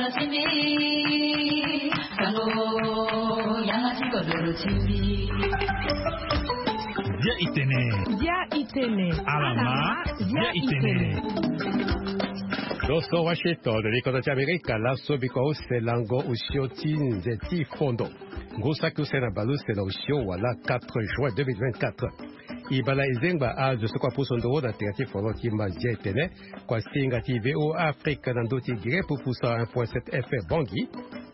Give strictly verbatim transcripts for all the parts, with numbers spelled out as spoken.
Dia itene. Dia itene. Alama. Dia itene. Doso Washington, likoto ti Amerika, laso biko use lango usio ti nze ti fondo. Ngu saki use na baluse na usio wala quatre juin deux mille vingt-quatre. Ibala izengba azo soko apuso ndo na tera ti folo ti mazia etene. Kua singa ti VOA Afrique na ndo ti gere pupusa un point sept F M Bongi.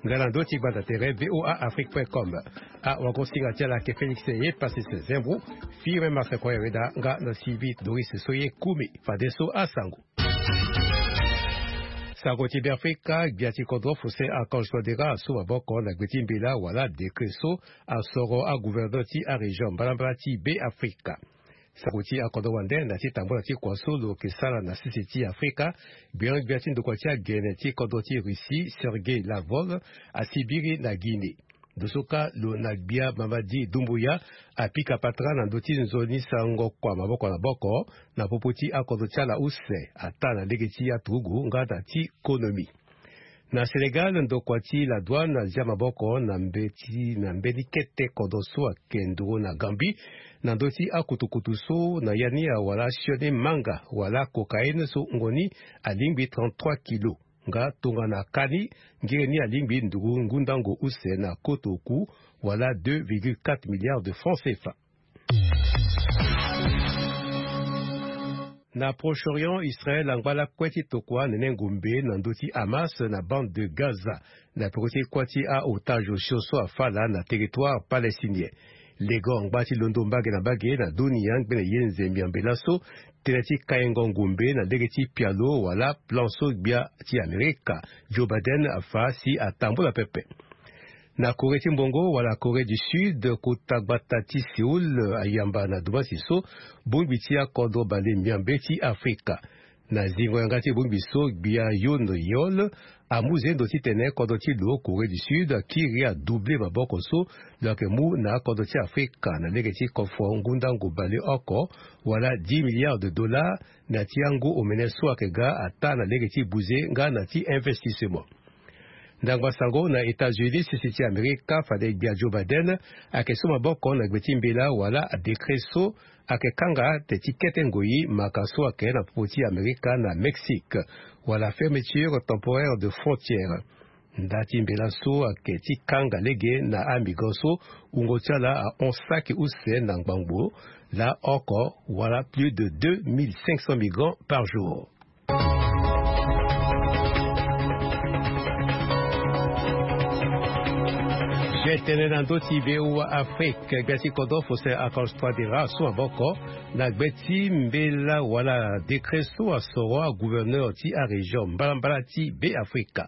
Nga na ndo ti gbanda tere VOA Afrique point com. A wago singa ti ala ke Félix ye pasi se zembu. Firme Marseille Koyereda nga na Sylvie Doris so ye kumi. Fadeso asango. Sango ti Beafrika, gbia ti kodro Faustin Archange Touadéra asu maboko na gbe ti mbela wala décret so asoro agouverneur ti arégion mbalambala ti Beafrika. Sango ti akodro wande na ti tambula ti kua so lo ke sara na sese ti Afrika, gbia gbia ti ndokua ti agene ti kodro ti Russie Sergei Lavrov asibiri na Guinée. Dosoka lo na gbia Mamadi Doumbouya apika patara na ndo ti nzoni sango kua maboko na boko na popo ti akodro ti ala use ata na lege ti aturugu nga na ti konomi. Na Sénégal, ndokua ti la douane azia maboko na mbe ti na mbeni kete kodro so ake nduru na Gambie na ndö ti akutukutu so na ya ni awara sioni manga wala cocaïne so wungo ni alingbi trente-trois kilo. Nga tongana kani ngere ni alingbi nduru ngundango use na koto oku wala deux virgule quatre milliards de francs C F A. Na Proche-Orient, Israël angba lakue ti tokua nene ngombe na ndö ti Hamas na bande de Gaza na peko ti kuâ ti a-otage osio so afâ laa na territoire palestinien. Lego angba ti londo mbage na mbage na dunia ngbene ye nze miambe laso tënë ti kaingo ngombe na lege ti pialo wala plan so gbia ti Amerika Joe Biden afâ si atambula pepe. Na Corée ti mbongo wala Corée du Sud, kota gbata ti Séoul ayamba na dumbasi so bongbi ti akodro bale miambe ti Afrika. Na zingo yanga ti bongbi so gbia Yoon Yeol amu zendo titene kodro ti lo Corée du Sud akiri adouble maboko so lo yeke mu na akodro ti Afrika na lege ti kofo ngundangu bale oko wala dix milliards de dollars na ti angu omene so ayeke ga ata na lege ti buze nga na ti investissement. Ndangba sango na États-Unis, sese ti Amerika fade gbia Joe Biden ayeke so maboko na gbe ti mbela wala décret so ayeke kanga te ti kete ngoi maka so ayeke na popo ti Amerika na Mexique wala fermeture temporaire de frontière. Nda ti mbela so ayeke ti kanga lege na amigrant so wungo ti ala ahon saki use na ngbangbo laa oko wala plus de deux mille cinq cents migrants par jour. Gtene na ndö ti VOA Afrique, gbia ti kodro Faustin Archange Touadéra asu maboko na gbe ti mbela wala décret so asoro agouverneur ti arégion mbalambala ti Beafrika.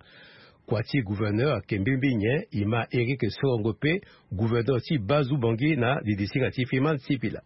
Kua ti gouverneur ayeke mbirimbiri nyen? Ima Éric Sorongo pe gouverneur ti Bazu Bangi na didi singa ti Fiman Sipila.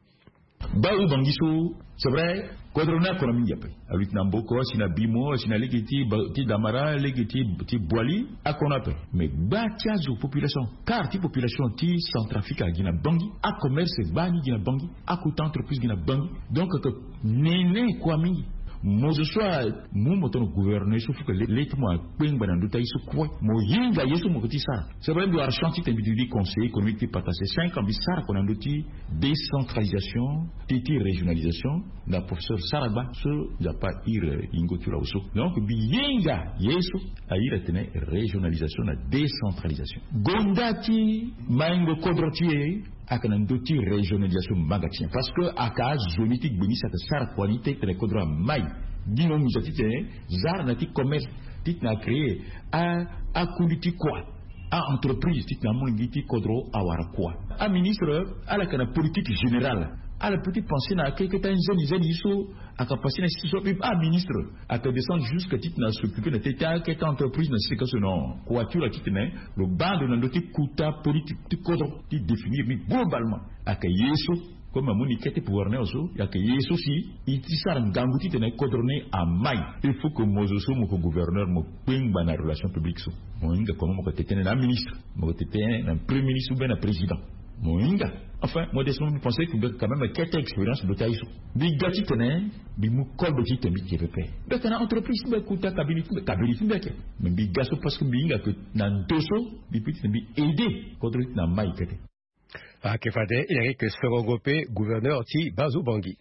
Bazu Bangi so, c'est vrai, kodro ni akona mingi ape. Aluti na Mboko, asi na Bimo, asi na lege ti Ba-, ti Damara, lege ti, ti Boali, akona ape. Mais gba ti azo population, quart ti population ti Centrafrique agi na Bangi, acommerce gbani gi na Bangi, akota entreprise gi na Bangi. Donc, que nene kua mingi. Mo zo so amu mo tongana gouverneur so, faut que le, le ti mo akpengba na ndö ti aye so kue. Mo hinga ye so mo yeke ti sara. C'est vrai, mbi wara chance titene mbi duti conseiller économique ti Patassé cinq ans, mbi sara kua na ndö ti décentralisation ti, ti régionalisation na professeur Saragba so Nzapa iri yingo ti lo awe so. Donc mbi hinga ye so a iri atene régionalisation na décentralisation. Gonda ti maingo kodro ti e ayeke na ndö ti régionalisation manga ti nyen? Parce que ayeke azo ni ti gbe ni si ayeke sara kua ni titene kodro amai. Gi mo muza titene zara na ti commerce titene acréer a, akundi ti kua, a-entreprise titene amolenge ti kodro awara kua. Aministre ala yeke na politique générale. Ala peut ti penser na akeketa nzeni nzeni so ayeke passé na sisi so. Aministre ayeke descendre jusque titene asoccuper na teti akeketa entreprise na sisi ka so. Non, kua ti lo ayeke titene lo baa ndo na ndö ti kota politique ti kodro ti définir ni globalement. Ayeke ye so, comme amu ni kete pouvoir ni awe so, ayeke ye so si i ti sara ngangu titene kodro ni amai. Il faut que mo zo so mo yeke gouverneur mo kpengba na relation publique so. Mo hinga comment mo yeke tene na aministre, mo yeke tene na premier ministre ou bien na président. Mo hinga. Enfin, modestement, mbi pense que mbi yeke quand même kete expérience ndo ti aye so. Mbi ga titene Mbi mu kolbe ti tene mbi yeke pepe. Mbi yeke na entreprise ti mbi, akuta kabini ti mbi, kabini ti mbi ayeke. Me mbi ga so parce que mbi hinga ke na ndo so mbi peut ti tene mbi aide kodro ti tene na mai kete. Ayeke fade Eric Sorongo pe gouverneur ti Bazo Bangi.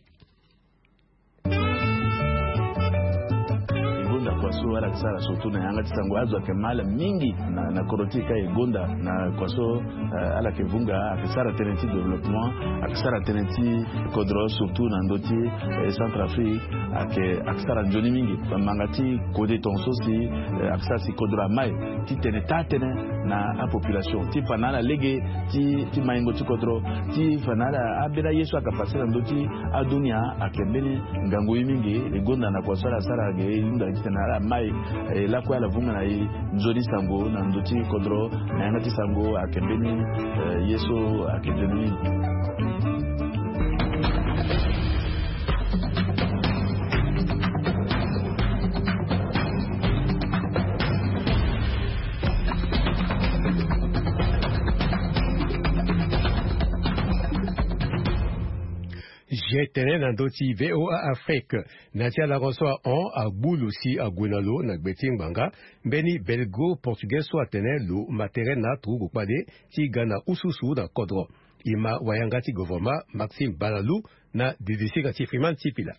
Gonda kua so ala yeke sara surtout na yanga ti sango, azo ayeke mal mingi na, na kodro ti e ka e gonda na kua so, eh, ala yeke vunga, ayeke sara tënë ti développement, ayeke sara tënë ti kodro surtout na ndö ti, eh, Centrafrique, ayeke, ayeke sara nzoni mingi. Manga ti kode tongaso si, eh, ayeke sara si kodro amai ti tene taa-tënë na apopulation ti fa na ala lege ti, ti maingo ti kodro, ti fa na ala ambeni aye so ayeke pase na ndö ti adunia. Ayeke mbeni ngangu ye mingi. E gonda na kua so ala sara ge e hunda titene ala mai, eh, lakue ala vunga na e nzoni sango na ndö ti kodro na yanga ti sango. Ayeke mbeni, eh, ye so ayeke nzoni mingi. Ge tene na ndö ti VOA Afrique. Na ya ti alango so ahon, agbu lo si ague na lo na gbe ti ngbanga, mbeni belgo portugais so atene lo ma tere na turugu kpale ti ga na ususu na kodro. E ma wayanga ti govoroma Maxime Balalou na didisinga ti Freeman Sipila.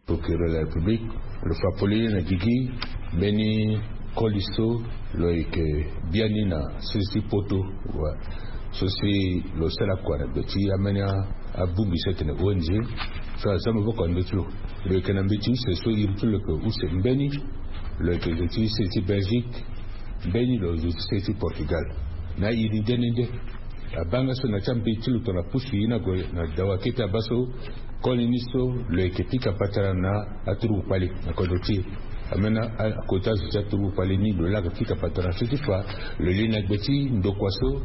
Procureur de la République, lo fa polele na gigi mbeni koli so lo yeke biani na sese ti poto. Wa. So si lo sara kua na gbe ti ambeni abongbi so atene O N G so aza maboko na ndö ti lo. Lo yeke na mbeti use so iri ti lo yeke use mbeni. Lo yeke zo ti use ti Belgique, mbeni lo zo ti se ti Portugal. Na iri nde nde nde. Abanga so na ti ambeti lo tongana pusu ye ni ague na dawa kete abaa so, koli ni so lo yeke pika patara na aturugu kpale na kodro ti e. Ambeni akota zo ti aturugu kpale ni lo laa ayeke pika patara so ti fa lo li na gbe ti ndokua so,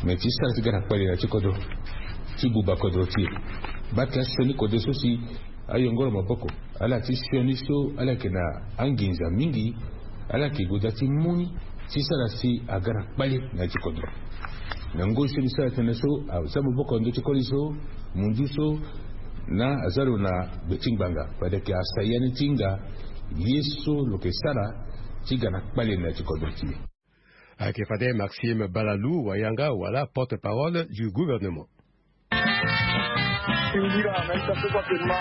me ti sara ti ga na kpale na ya ti kodro, ti buba kodro ti e. Baa tena sioni kode so si ayongoro maboko, ala ti sioni so ala yeke na anginza mingi, ala yeke goda ti mu ni ti sara si aga na kpale na ya ti kodro. Na ngoi so mbi sara tënë so, aza maboko na ndö ti koli so, munzu so, na aza lo na gbe ti ngbanga, fade ayeke asa ya ni ti hinga ye so lo yeke sara ti ga na kpale na ya ti kodro ti e. Ayeke fade Maxime Balalou, wayanga wala porte-parole du gouvernement. Singira na ita so kua ke ma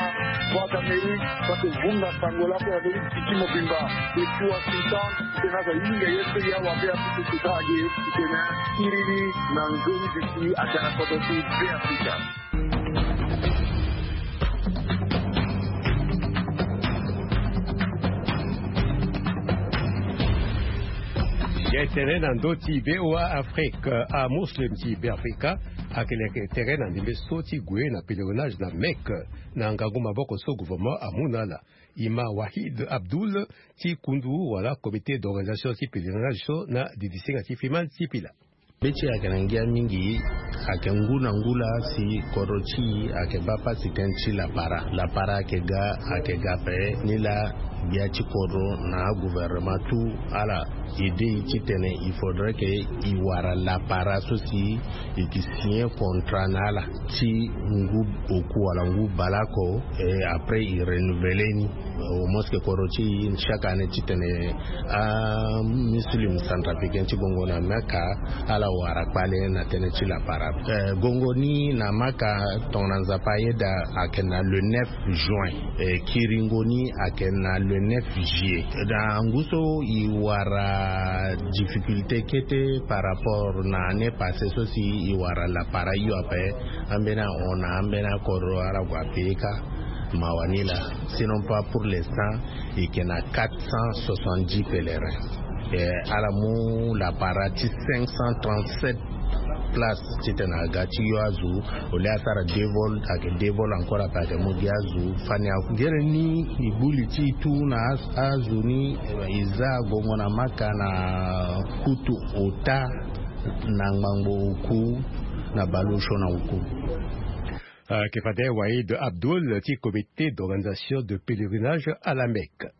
Voix d'Amérique, kua ke vunga sango lakue na ndö ti tiki mobimba. Depuis Washington, tena aza hinga ye so ya wa be apusu sisa age, tena iri ni na nzoni bisi aga na kodro ti Beafrika. Ye tene na ndö ti VOA Afrique, amuslim ti Beafrika ayeke leke tere na ndembe so ti gue na pèlerinage na Mecque, na ngangu maboko so gouvernement amu na ala. E ma Wahid Abdul ti kundu wala comité d'organisation ti pèlerinage so na didisinga ti Freeman Sipila. Be ti e ayeke na ngia mingi, ayeke ngu na ngu laa si kodro ti e ayeke baa pasi tënë ti lapara. Lapara ayeke ga, ayeke ga ape, ni laa gbia ti kodro na agouvernement tout ala aide e titene il faudrait que e wara lapara so si e yeke signer contrat na ala ti ngu oku wala ngu baleoko, et après e renouveler ni. Au moins que kodro ti e chaque année titene amuslim centrafricain ti gongo na Mecque ala wara kpale na tënë ti lapara. Eh, gongo ni na Mecque tongana Nzapa ayeda ayeke na le neuf juin. Eh, kiringo ni ayeke na le neuf juillet. Na ngu so e wara difficulté kete par rapport na année passée so si e wara lapara hio ape. Ambeni ahon na ambeni akodro ala gue ape ka. Mawa ni laa. Sinon pas pour l'instant, e yeke na quatre cent soixante-dix pèlerins. Eh, ala mu lapara ti cinq cent trente-sept places titene aga ti yo azo. Au lieu asara deux vols, ayeke deux vols encore ape ayeke mu gi azo. Fani akungere ni e gbu li ti e tout na a, azo ni, eh, e za gongo na Mecque na kutu ota na ngbangbo oku na bale osio na oku. Ayeke fade Wahid Abdul ti comité d'organisation de pèlerinage à la Mecque.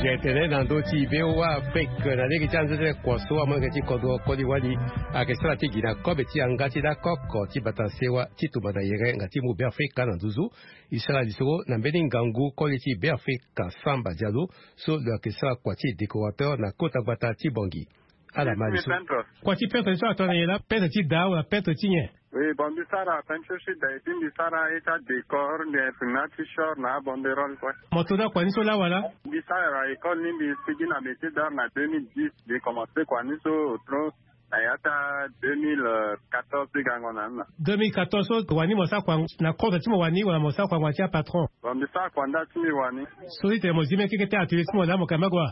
Tene na ndö ti VOA Afrique, na lege ti anzenze kua so amolenge ti kodro koli wali ayeke sara ti gi na kobe ti yanga ti lakoko ti bata sewa ti tumba na yere nga ti mu Beafrika na nduzu. E sara lisoro na mbeni ngangu koli ti Beafrika Samba Diallo, so lo yeke sara kua ti décorateur na kota gbata ti Bangui. Ala ma lisoro. Kua ti peintre so atongana nyen laa? Peintre ti daa wala peintre ti nyen? Oui, bon, mbi sara peinture ti daa, et puis mbi sara ye ti adécor, mbi imprime ati short na abanderole kue. Mo to daa kua ni so laa wala? Mbi sara école ni, mbi sigi na métier d'art na deux mille dix. Mbi commencé kua ni so otro na ya ti deux mille quatorze ti gango na ni na. Deux mille quatorze so wani mo sara kua na kodro ti mo wani wala mo sara kua ngbanga ti apatron? Bon, mbi sara kua nda ti mbi wani. So ti tene mo zi mbeni keke ti atelier ti mo laa mo yeke na mbage wa?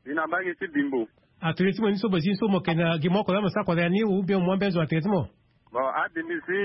Mbi na mbage ti Bimbo. Atelier ti mo ni so mo zi ni so mo yeke na gi moko laa mo sara kua na ya ni ou bien mo mwa mbeni zo atelier ti mo? Bon, ade mbi zi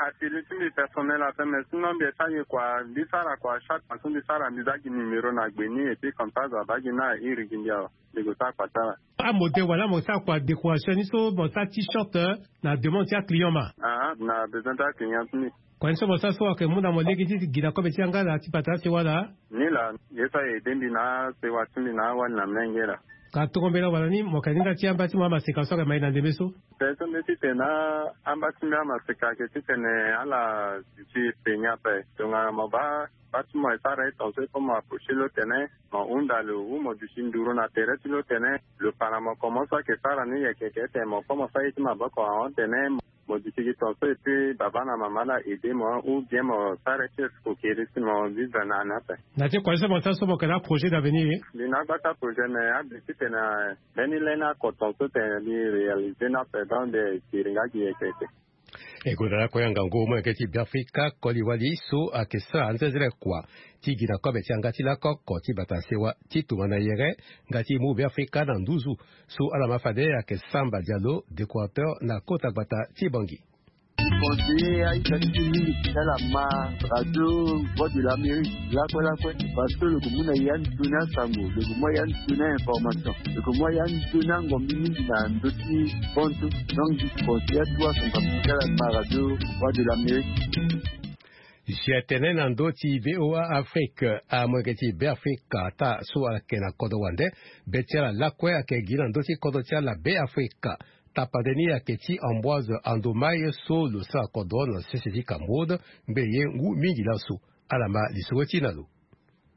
atelier ti mbi personnel ape, mais sinon mbi sara ye kua, mbi sara kua chaque fois so mbi sara mbi za gi numéro na gbe ni, et puis comme ça zo abaa gi ni na iri gi mbi awe, mbi gue sara kua ti ala. Amodèle wala mo sara kua décoration ni so mo sara ti short, eh, na demande ti aclient ma? Ah, na besoin ti aclient ti mbi. Kua ni so mo sara so ayeke mu na mo lege ti gi na kobe ti yanga laa ti bata sewa laa? Ni laa, ye so aye aidé mbi na asewa ti mbi na awali na mlenge laa. Ka tongo mbela wala ni mo yeke na hinga ti amba ti mo amaseka so ayeke ma e na ndembe so? Pe so mbi titene amba ti mbi amaseka ayeke titene ala duti pe ni ape. Tongana mo baa bâ ti mo e sara ye tongaso il faut mo approcher lo tene mo hunda lo ou mo duti nduru na tere ti lo tene lo fa na mo comment so ayeke sara ni yeke yeke tene mo kue mo sara ye ti maboko ahon tene mo duti gi tongaso et puis baba na mama la aidé mo ou bien mo sara ye ti escroquerie si mo vivre na ni ape. Na ti kua ni so mo sara so mo yeke na aprojet d'avenir? Mbi na agbata projet mais abi titene mbeni laine oko tongaso tene mbi réalisé ni ape donc mbi kiri nga gi yeke yeke. E gonda lakue ya ngangu molenge ti Beafrika koli wali so ayeke sara anzenzele kua ti gi na kobe ti yanga ti lakoko ti bata sewa ti tongana yere nga ti mu Beafrika na nduzu. So ala ma fade ayeke Samba Diallo, décorateur na kota gbata ti Bangui. Conseiller aita ti mingi ti ala ma radio Voix de l'Amérique lakue lakue, parce que lo gue mu na ya ndo ni asango, lo gue mu ya ndo ni information, lo gue mu ya ndo ni angombi mingi na ndö ti hon. Donc mbi conseiller atu asango ti ala ma radio Voix de l'Amérique. Si atene na ndö ti VOA Afrique, amolenge ti Beafrika ata so ala yeke na kodro wande, be ti ala lakue ayeke gi na ndö ti kodro ti ala Beafrika. Tapande ni ayeke ti Ambroise Andomai so lo sara kodro na sese ti Cameroun, ngbene ye ngu mingi laso. Ala ma lisoro ti e na lo.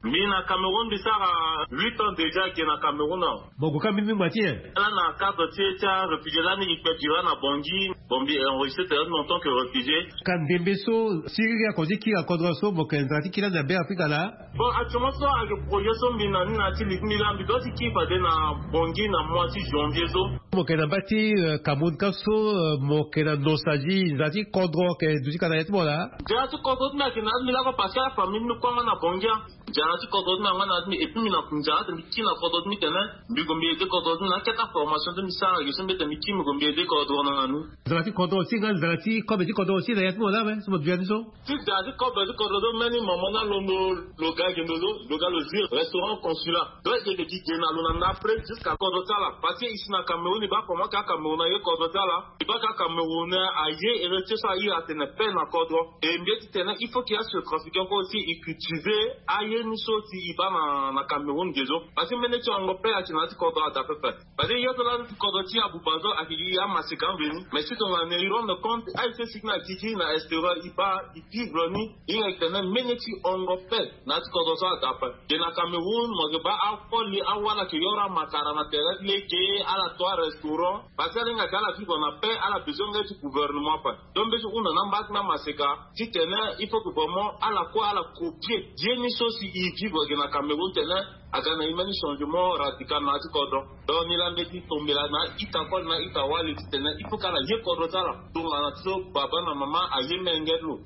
Mbi na Cameroun mbi sara huit ans déjà ge na Cameroun awe. Mo gue ka mbeni ngba ti nyen? Lani na cadre ti e ti aréfugié lani e kpe dure na Bangui. Bon mbi enregistré tene en tant que réfugié. Ka ndembe so siriri ako ti kiri na kodro so mo yeke nzara ti kiri lani na Beafrika laa? Bon actuellement so ayeke projet so mbi na ni na ti li ti mbi laa mbi doit ti kiri fade na Bangui na mois ti janvier so. Mo yeke na mba ti, eh, Cameroun ka so, eh, mo yeke na nostalgie, nzara ti kodro ayeke duti ka na ya ti mo laa? Nzara ti kodro ti mbi ayeke na ya ti mbi lakue parce que afamille ti mbi kue anga na Bangui. Nzara ti kodro ti mbi anga na ya ti mbi et puis mbi na nzara ti mbi kiri na kodro ti mbi tene mbi gue mbi aidé kodro ti mbi na akete aformation ti mbi sara ge so mbi tene mbi kiri mbi gue mbi aidé kodro na ni. Nzara ti kodro aussi nga nzara ti kobe ti kodro aussi na ya ti mo laa awe so mo duti ya ni so? Ti nzara ti kobe ti kodro so mbeni mama ni alondo lo ga ge ndo so lo ga lo zi restaurant Consulat. Donc e yeke gi ge na lo na ndapre jusqu'à kodro ti ala parce que e si na Cameroun e baa comment ka Cameroun aye kodro ti ala. E baa ka Cameroun aye héritier so a iri atene paix na kodro. E mbi ye ti tene il faut que asetrafiquant kue aussi e cultiver aye ni so si e baa na, na Cameroun ge so. Parce que mbeni ti hongo paix ayeke na ya ti kodro ada pepe. Parce que ye so laa ti kodro ti Aboubazo ayeke gi amaseka mveni. Mais si tongana e rendre compte aye so e sigi na gigi na extérieur e baa e vivre ni. E hinga e tene mbeni ti hongo paix na ya ti kodro so ada ape. Ge na Cameroun mo yeke baa akoli awala ayeke yoro amakara na tere ti lege ala to arestaurant. Parce que ala hinga ayeke ala vivre na paix ala besoin nga ti gouvernement ape. Donc mbi ti hunda na amba ti mbi amaseka titene il faut que vraiment ala kue ala copier ye ni so si e vivre ge na Cameroun tene aga na e mbeni changement radical na ya ti kodro. Donc ni laa mbi ye ti tombela na a-ita koli na a-ita wali titene il faut que ala ye kodro ti ala tongana so baba na mama aye menge ti lo.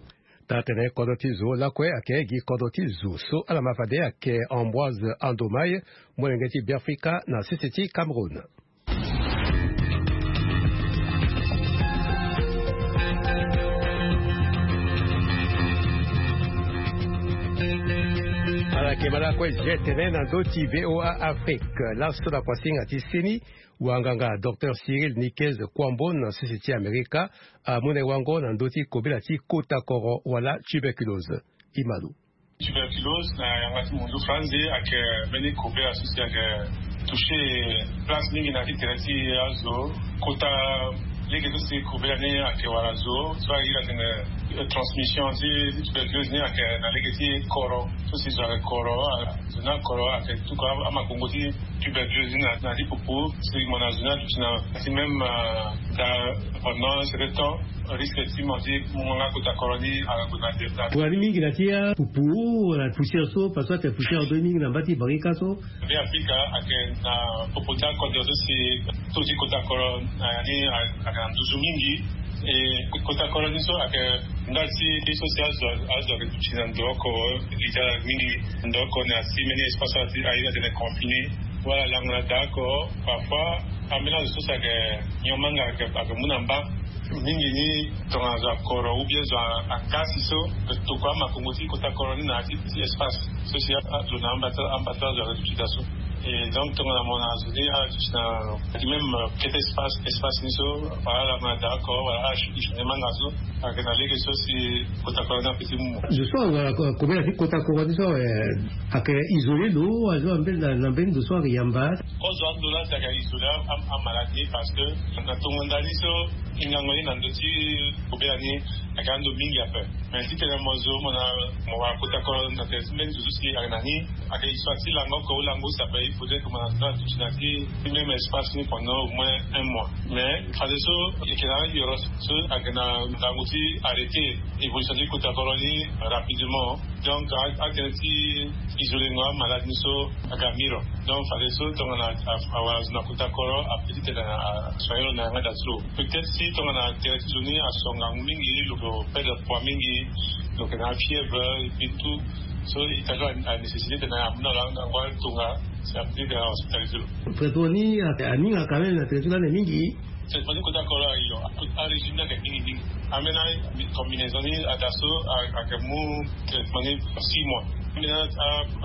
Taa tene kodro ti zo lakue ayeke gi kodro ti zo so ala ma fade ayeke Ambroise Andomai, molenge ti Beafrika na sese ti Cameroun. Ala yeke ma lakue zi tene na ndö ti VOA Afrique laso na kuasinga ti seni. Wanganga docteur Cyril Niquez Kouambo na sese ti Amerika amu na e wango na ndö ti kobela ti kota koro wala tuberculose. E ma lo. Tuberculose na yanga ti mundu franzi ayeke mbeni kobela so si ayeke toucher place mingi na ti tere ti azo. Kota lege so si kobela ni ayeke wara zo so ayeke iri atene transmission ti tuberculose ni ayeke na lege ti koro. So si zo ayeke koro, zo ni akoro ayeke tuku amakongo ti tuberculose ni na ti pupu. Si mo na zo ni aduti na ti même da pendant un certain temps, risque ti mo ti mu nga kota koro ni ala gue na delta. Wala ni mingi na ti apupu wala poussière so parce que ate poussière ado mingi na mba ti barika so. Be afrika ake na popo ti akode so si to ti kota koro na ya ni ake na nduzu mingi. E kota koro ni so ake ndali ti so si azo ake duti na ndo oko. Li ti ala mingi ndo oko na si mbeni espace ti aye atene confiné. Wala lango na daa oko. Parfois ambeni azo so si ake nyon manga ake mu na mba. Mingi ni tongana zo akoro ou bien zo akasi so tokua makongo ti kota koro ni na ti espace so si azo na ambata ambata zo aduti da so. Et donc tongana mo na zo ni aduti na ti même kete espace espace ni so wala ala ma d'accord wala ala shuki shone manga so. Ake na lege so si kota koro ni ape ti mu mo. Zo so wala kobela ti kota koro ni so ake isolé lo azo ambeni na mbeni zo so ake yamba. Ozo ando la si ake isolé amaladi parce que na tongo ndali so. Hingango ni na ndö ti kobela ni ake ando mingi ape. Mais titene mo zo mo na mo wara kota koro na tere ti mbeni zo so si ake na ni ake histoire ti lango oko ou lango use ape il faudrait que mo na zo aduti na ti même espace ni pendant au moins un mois. Mais fadeso eke na ayoro so ake na ngangu ti arrêter évolution ti kota koro ni rapidement. Donc atene ti isolengo amalade ni so aga miro. Donc fadeso tongana awara zo na kota koro ape ti tene asoigner lo na yanga da ti lo. Peut-être si tongana tere ti zo ni aso ngangu mingi lo perdre poids mingi. Lo yeke na afièvre et puis tout. So ita so anécessité tene amu na lo ango atonga si ape ti tene ahospitalisé lo. Traitement ni aninga quand même na tere ti lani mingi. Traitement ti kota koro ayo. Arégime ni ayeke mingi mingi. Ambeni combinaison ni ada so ayeke mu traitement ni six mois. Ambeni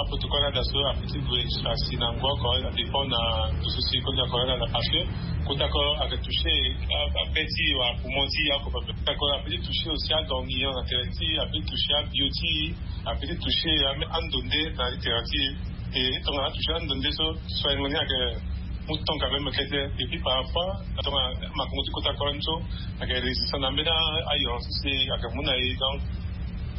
aprotocole ni ada so ape ti gue asi na ngu oko adépend na ndo so si kota koro ni ada parce que kota koro ayeke toucher abe ti wala poumon ti e oko pepe. Kota koro ape ti toucher aussi adormillon na tere ti ape ti toucher abio ti e. Ape ti toucher ando nde na ti tere ti e. E tongana atoucher ando nde so soigngo ni ayeke mu temps quand même kete. Et puis parfois tongana makongo ti kota koro ni so ayeke résistant na mbeni ayoro so si ayeke mu na e donc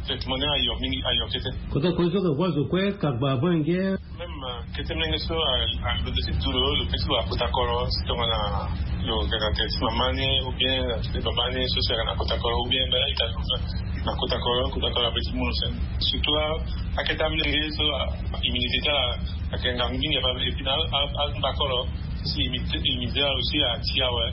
traitement ni ayo mingi ayo kete. Kota koro ni so ayeke kue azo kue kagba avant nge. Même kete mlenge so alondo ti du lo lo pe ti wara kota koro si tongana lo yeke na tere ti mama ni ou bien na tere ti baba ni so si ayeke na kota koro ou bien mbela ita na kota koro kota koro ape ti mu lo sene. Surtout akete amlenge so immunité ti ala ayeke ngangu mingi ape et puis na angba koro si immunité ala aussi ati awe.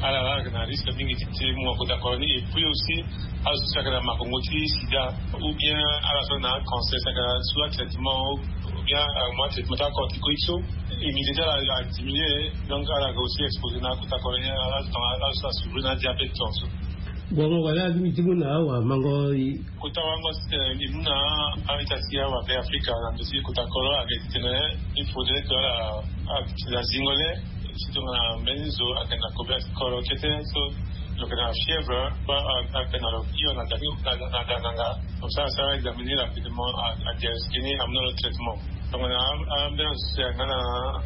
Ala la ayeke na risque mingi ti mu na kota koro ni et puis aussi azo so si ayeke na makongo ti sida ou bien ala so na cancer si ayeke na sous traitement ou bien amu atraitement ti acorticoïde so immunité ti ala adiminué. Donc ala yeke aussi exposé na akota koro ni ala so asouffrir na adiabète tongaso. Bon mo wala alingbi ti mu na awamango. Kota wango si tene mbi mu na a-ita ti awabe afrika na ndo ti kota koro ayeke ti tene il faudrait que ala azingo le si tongana mbeni zo ayeke na kobela ti koro kete so lo yeke na fièvre. Ayeke na lo hio na da ni na da na nga. Donc so asara examiner rapidement adiagnostique ni amu na lo traitement. Tongana ambeni azo si ayeke nga na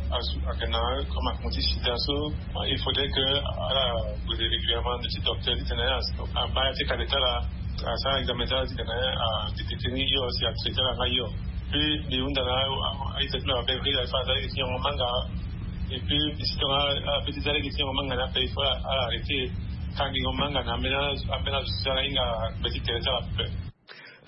azo ayeke na comme akongo ti sida so il faudrait que ala gue régulièrement na ndo ti docteur ti tene abaa ya ti kade ti ala asara examen ti ala ti tene adétecter ni hio si atraiter ala nga hio. Puis mbi hunda na a-ita ti mbi awabe afrika il faut aza lege ti nyongo manga. Et puis si tongana ape ti za lege ti nyongo manga ni ape il faut ala arrêter kangingo manga na ambeni azo si ala hinga gbe ti tere ti ala pepe.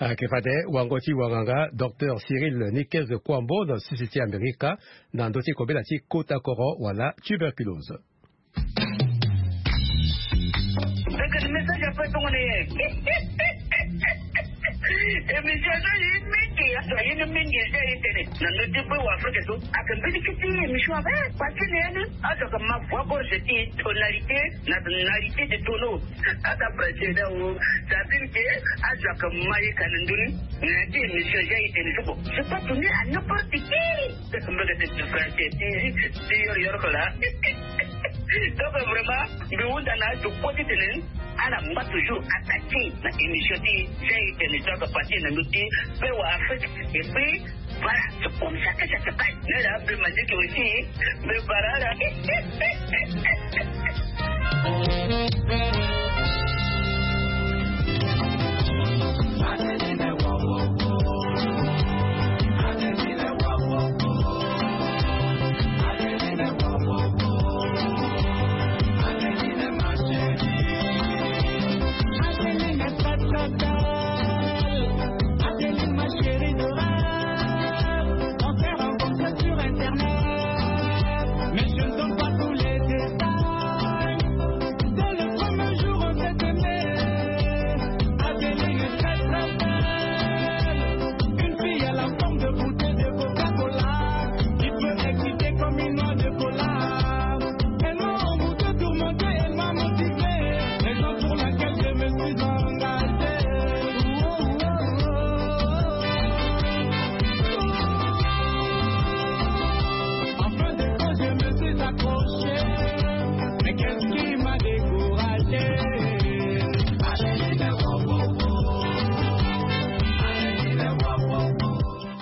Ayeke fade wango ti wanganga docteur Cyril Niquez Kwambo na sese ti Amerika na ndö ti kobela ti kota koro wala tuberculose. Mbekeni message ape tongoni ye. Émission so ye mingi aso ye ni mingi eza ye tene na ndö ti bue wa afrika so. Ake mbeni kiti émission ape parce que ni ye ni azo ake ma voix gorge ti tonalité na tonalité de tono. Ata président o sabine ke azo ake ma ye ka na ndö ni na ya ti émission eza ye tene so bon c'est pas toni à n'importe qui. Mbeke ti français ti ti yoro yoro ko la. Donc vraiment mbi hunda na azo kue ti tene Ala ngba toujours attaqué na émission ti. Zai tene to aka parti na ndö ti pe wa Afrique. Et puis voilà, c'est comme ça que ça se passe. Mais là, pe Madiki aussi, mais voilà là.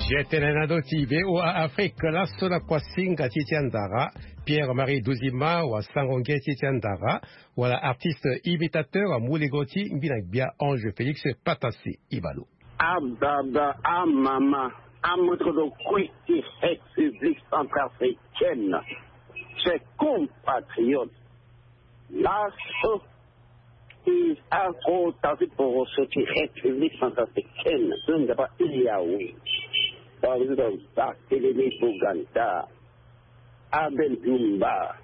Jetene na ndö ti V O A Afrique, laso na kuasinga ti ti andara, Pierre Marie Duzima wa sango nge ti ti andara, wala artiste imitateur, amu lego ti mbi na gbia Ange Félix Patasi. Ibalo. Ababa, amama, amoto kue ti République centrafricaine, chers compatriotes, laso ti akota ti poroso ti République centrafricaine so nzapa e awe. Président Barthélémy Boganda, Abel Dumba,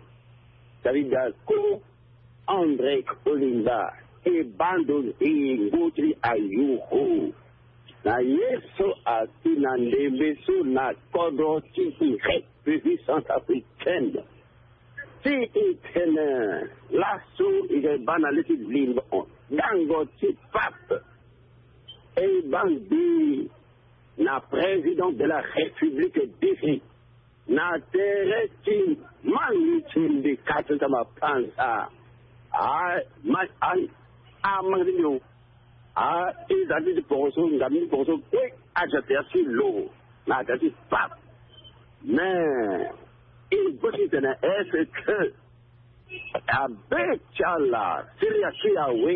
David Dako, André Kolimba, e bando nzingo ti ayuku na ye so asi na ndembe so na kodro ti République centrafricaine. Ti e tene laso e ga e baa na le ti limbo dango ti pape, e baa mbi na président de la République d'Égypte na tere ti mangi ti mbi kati ti mapanza. Ai, ma, ai, amanga ti mbi o. A, e za ti ti poroso, nga mbi ti poroso kue aza tere ti lo na tere ti pape. Mais e go ti tene est-ce que abe ti ala Syria ti awe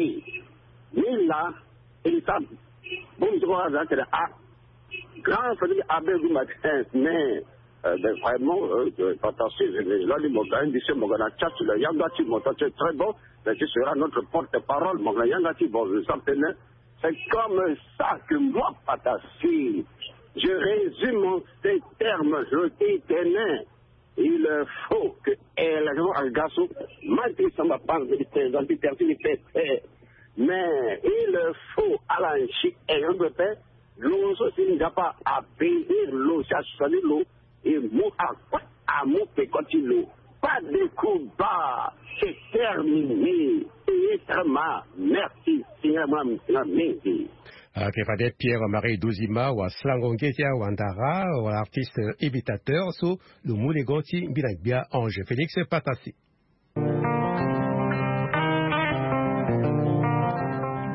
ni la e sa. Bon, je crois que a grand famille abe du matin, mais euh, ben, vraiment euh, euh, attention, je je dois dire mon grand monsieur, mon grand chat, le yanga ti mon, c'est très bon, mais ce sera notre porte-parole, mon grand yanga ti bon, je sens tenir. C'est comme ça que moi, Patasi, je résume en ces termes, je dis tenir. Il faut que élection agaso manti samba panzi di président ti terti di pete. Mais il faut ala nsi élection pete. Lo so si nzapa abénir lo, si asali lo, e mu akue amu peko ti lo. Pas de coup bas, c'est terminé. Et extrêmement merci. Singa mwa msinga mingi. Ayeke fade Pierre Marie Duzima wa slango nge ti awandara, wala artiste imitateur so lo mu lego ti mbi na gbia Ange Félix Patasi.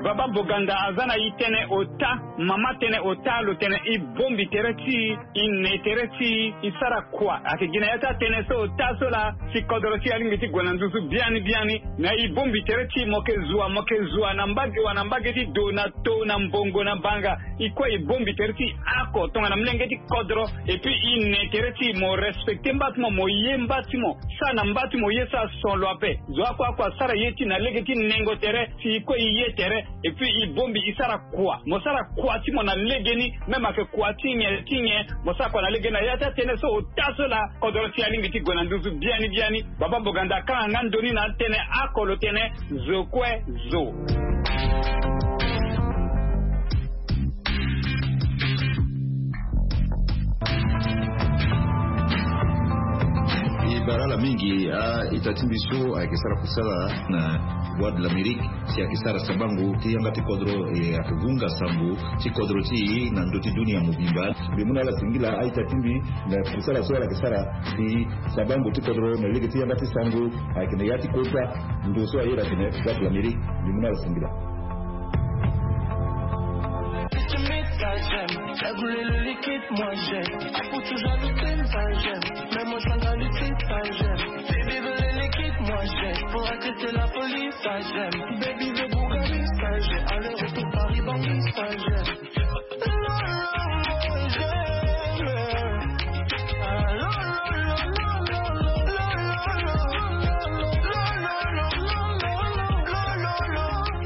Baba Boganda aza na e tënë ota, mama tënë ota, lo tene e bongbi tere ti e, e ne tere ti e, e sara kua. Ayeke gi na ya ti atënë so ota so laa si kodro ti e alingbi ti gue na nduzu biani biani. Na e bongbi tere ti e, mo yeke zua, mo yeke zua na mbage wa na mbage ti do, na to, na mbongo, na banga. E kue e bongbi tere ti e oko tongana molenge ti kodro. Et puis e ne tere ti e, mo respecter mba ti mo, mo ye mba ti mo, sara na mba ti mo ye so ason lo ape. Zo oko oko asara ye ti e na lege ti nengo tere, si e kue e ye tere. Et puis e bongbi e sara kua. Mo sara kua ti mo na legeni, même ayeke kua ti nyen ti nyen, mo sara kua na legeni. Na ya ti atënë so ota so laa kodro ti e alingbi ti gue na nduzu biani biani. Baba Boganda akanga nga ndo ni na atënë oko, lo tene zo kue zo. E bara ala mingi, a-ita ti mbi so ayeke sara kusala na Voix de l'Amérique, si ayeke sara sabango ti yanga ti kodro, e ayeke vunga sango ti kodro ti e na ndö ti dunia mobimba. Mbi mu na ala singila a-ita ti mbi na kusala so ala yeke sara si sabango ti kodro na lege ti yanga ti sango ayeke na ya ti kota. Ndo so ayeke na Voix de l'Amérique, mbi mu na ala singila. Moi j'aime, ça voulait le liquide, moi j'aime. Pour toujours le crime, ça j'aime. Même au champ dans le trip, ça j'aime. Baby veut le liquide, moi j'aime. Pour arrêter la police, ça j'aime. Baby veut Bugatti, ça j'aime. Aller-retour Paris, Bangui, ça j'aime.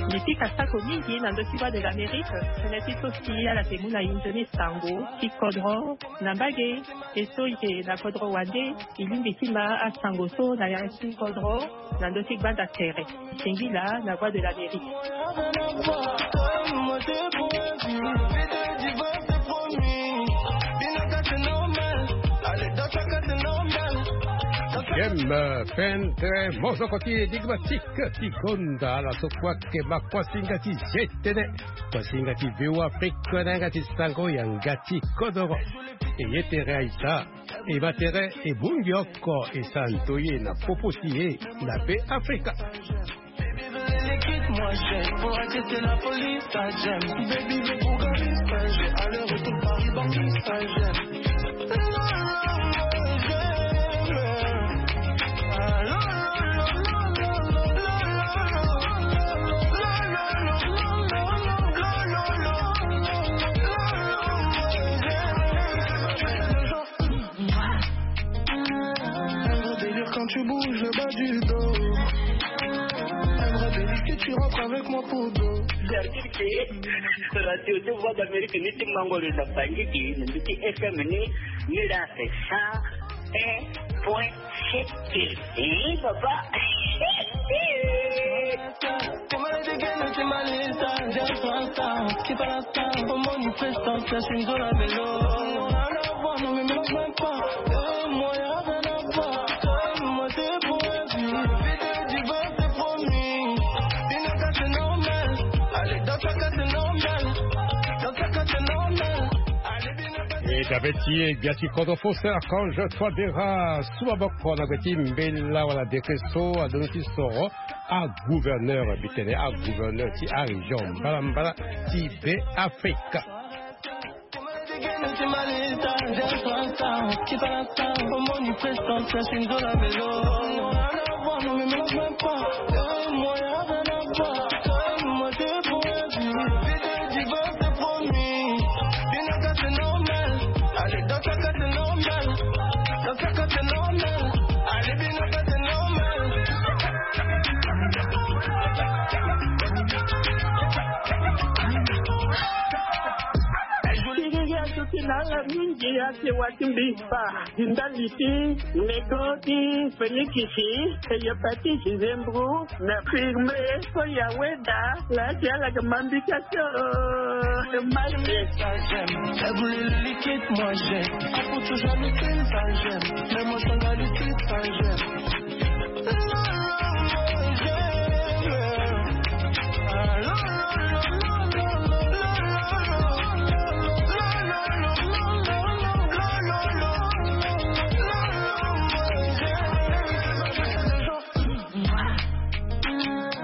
Mbi pika sako mingi na ndö ti Voix de l'Amérique, tënë ti so si ala yeke mu na e nzoni sango ti kodro na mbage. E so e yeke na kodro wande, e lingbi ti ma asango so na ya ti kodro na ndö ti gbanda tere. Singila na Voix de l'Amérique. J'aime, euh, pendre mozoko ti énigmatique ti gonda ala so kue ayeke ma kuasinga ti G T N, kuasinga ti V O A Afrique na yanga ti sango yanga ti kodoro. E ye tere aita. E ma tere e bongbi oko e sara ndoye na popo ti e na Be Afrika. Baby veut le liquide, moi j'aime. Pour arrêter la police, ça j'aime. Baby veut Bugatti, ça j'aime. Aller-retour Paris, Bangui, ça j'aime. Quand tu bouges le bas du dos, j'aimerais bien que tu rentres avec moi pour dos. Radio de Voix d'Amérique ni ti mango le na Bangui, ni ti F M ni, ni la c'est cent un point sept. Eh, papa. E dabe ti e gbia ti kodro fo, c'est Archange Touadéra, su maboko na gbe ti mbela wala décret so adoni ti soro agouverneur, mbi tene agouverneur ti arégion mbalambala ti Be Afrika. Siriri aduti na ala mingi ake wati mbi fa. Ndali ti nego ti fenikisi, hepatite, zembro, na firme, so ya weda, la ti ala ga mambi ka so. Mali. Ça j'aime, ça voulait le liquide, moi j'aime. Pour toujours le crime, ça j'aime. Même au champ dans le trip, ça j'aime.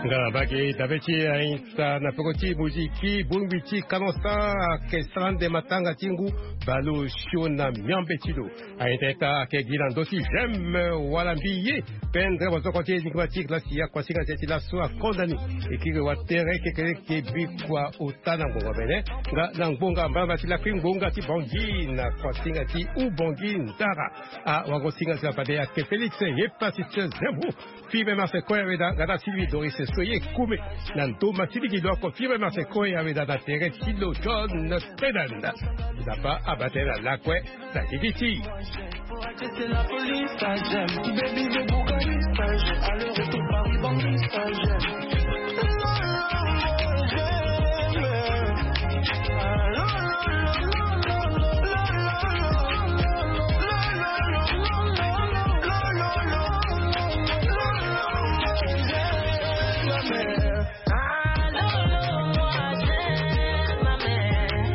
Nga na mbage dabe ti e aita na peko ti moziki, bongbi ti kanosa, ayeke sara nde matanga ti ngu, baleosio na miambe ti lo. Aita ita ayeke gi na ndö ti j'aime wala mbi ye. Pendre mozoko ti énigmatique la si akuasinga ti e ti laso akonda ni. E kiri watere kekereke bikua ota na ngbonga mene. Nga na ngbonga mbalambala ti lakui ngbonga ti Bangui na kuasinga ti Ubangui Ndara. Awagosinga ti la fade ayeke Félix Hepatite Zembro. Firme Marseille Koya Weda, nga na Sylvie Doris Soye Koume. Na ndo ma ti ligi lo oko Firme Marseille Koya Weda na tere ti lo John Spedan. Nzapa abaa tënë na lakue na ligi ti.